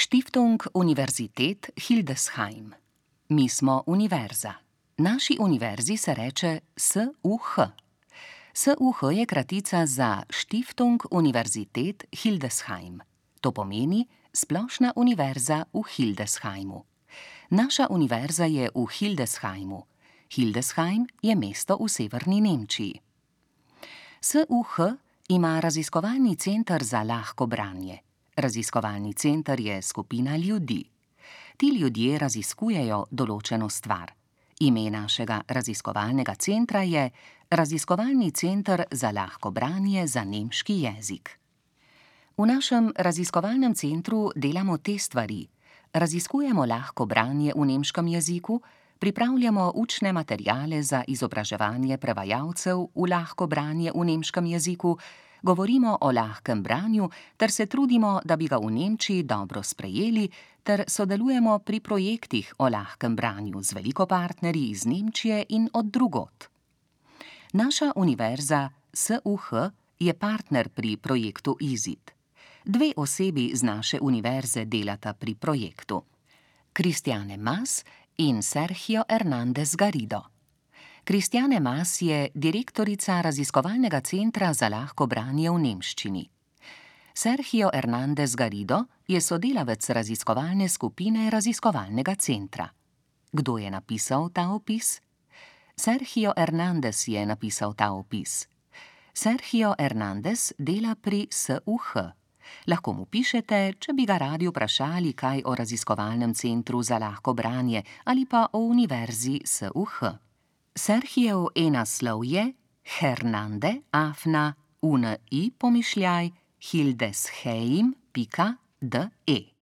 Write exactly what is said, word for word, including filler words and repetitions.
Stiftung Universität Hildesheim. Mi smo univerza. Naši univerzi se reče S U H. S U H je kratica za Stiftung Universität Hildesheim. To pomeni Splošna univerza v Hildesheimu. Naša univerza je v Hildesheimu. Hildesheim je mesto v severni Nemčiji. S U H ima raziskovalni center za lahko branje. Raziskovalni center je skupina ljudi. Ti ljudje raziskujejo določeno stvar. Ime našega raziskovalnega centra je Raziskovalni center za lahko branje za nemški jezik. V našem raziskovalnem centru delamo te stvari. Raziskujemo lahko branje v nemškem jeziku, pripravljamo učne materiale za izobraževanje prevajalcev v lahko branje v nemškem jeziku, govorimo o lahkem branju ter se trudimo, da bi ga v Nemčiji dobro sprejeli, ter sodelujemo pri projektih o lahkem branju z veliko partnerji iz Nemčije in od drugod. Naša univerza S U H je partner pri projektu IZID. Dve osebi z naše univerze delata pri projektu. Cristiane Mas in Sergio Hernández Garrido. Cristiane Mas je direktorica raziskovalnega centra za lahko branje v nemščini. Sergio Hernández Garrido je sodelavec raziskovalne skupine raziskovalnega centra. Kdo je napisal ta opis? Sergio Hernández je napisal ta opis. Sergio Hernández dela pri S U H. Lahko mu pišete, če bi ga radi vprašali kaj o raziskovalnem centru za lahko branje ali pa o univerzi S U H. Sergijev e-naslov je hernande afna uni pomišljaj hildesheim pika de.